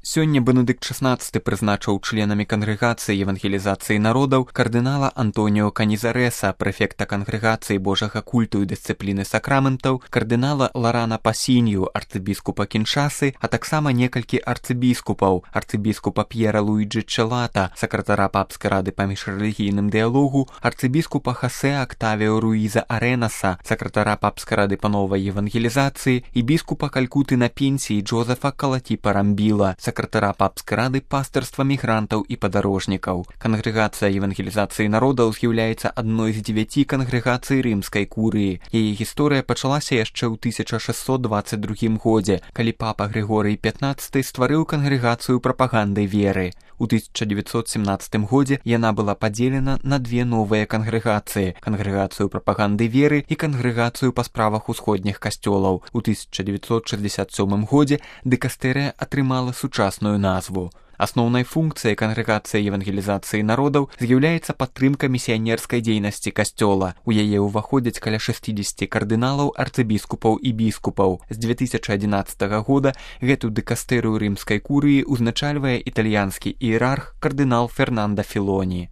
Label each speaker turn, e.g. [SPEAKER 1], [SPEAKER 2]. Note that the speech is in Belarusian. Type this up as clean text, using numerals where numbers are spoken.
[SPEAKER 1] Сёння Бенедыкт XVI прызначыў членамі кангрэгацыі евангелізацыі народаў кардынала Антоніо Канізарэса, прэфекта кангрэгацыі Божага культу і дысцыпліны сакраментаў, кардынала Ларана Пасінью, арцыбіскупа Кіншасы, а таксама некалькі арцыбіскупаў, арцыбіскупа П'ера Луіджы Чэлата, сакратара папскай рады па міжрэлігійным дыялогу, арцыбіскупа Хасе Актавіо Руіза Арэнаса, сакратара папскай рады па новай евангелізацыі і біскупа Калькуты на пенсіі Джозефа Калатіпа Рамбіла, сакратара папскай рады пастырства мігрантаў і падарожнікаў. Кангрэгацыя евангелізацыі народаў з'яўляецца адной з 9 кангрэгацый рымскай курыі. Яе гісторыя пачалася яшчэ ў 1622 годзе, калі папа Грыгорый XV стварыў кангрэгацыю прапаганды веры. У 1917 годзе яна была падзелена на две новыя кангрэгацыі: кангрэгацыю прапаганды веры і кангрэгацыю па справах усходніх касцёлаў. У 1967 годзе дыкастэрыя атрымала сучасную назву. Асноўнай функцыяй кангрэгацыі евангелізацыі народаў з'яўляецца падтрымка місіянерскай дзейнасці касцёла. У яе ўваходзяць каля 60 кардыналаў, арцыбіскупаў і біскупаў. З 2011 года гэту дыкастэрыю рымскай курыі узначальвае італьянскі іерарх кардынал Фернандо Філоні.